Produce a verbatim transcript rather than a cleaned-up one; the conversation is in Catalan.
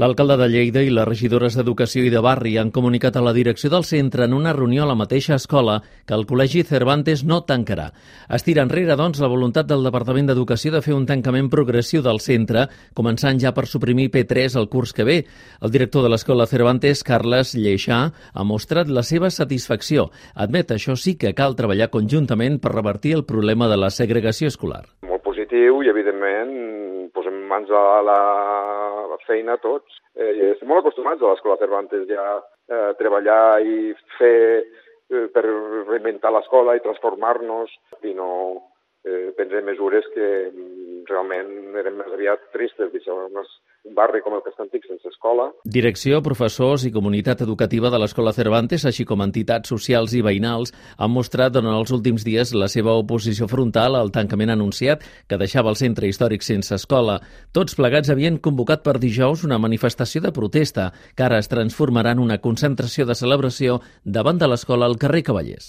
L'alcalde de Lleida i les regidores d'Educació i de Barri han comunicat a la direcció del centre en una reunió a la mateixa escola que el Col·legi Cervantes no tancarà. Es tira enrere, doncs, la voluntat del Departament d'Educació de fer un tancament progressiu del centre, començant ja per suprimir P tres el curs que ve. El director de l'escola Cervantes, Carles Lleixà, ha mostrat la seva satisfacció. Admet, això sí, que cal treballar conjuntament per revertir el problema de la segregació escolar. Molt positiu i, evidentment, posem mans a la feina tots. Eh, estem molt acostumats a l'escola Cervantes ja a treballar i fer eh, per reinventar l'escola i transformar-nos i no eh, prendre mesures que realment eren més aviat tristes, deixar un barri com el que està antic sense escola. Direcció, professors i comunitat educativa de l'escola Cervantes, així com entitats socials i veïnals, han mostrat durant els últims dies la seva oposició frontal al tancament anunciat que deixava el centre històric sense escola. Tots plegats havien convocat per dijous una manifestació de protesta que ara es transformarà en una concentració de celebració davant de l'escola al carrer Cavallers.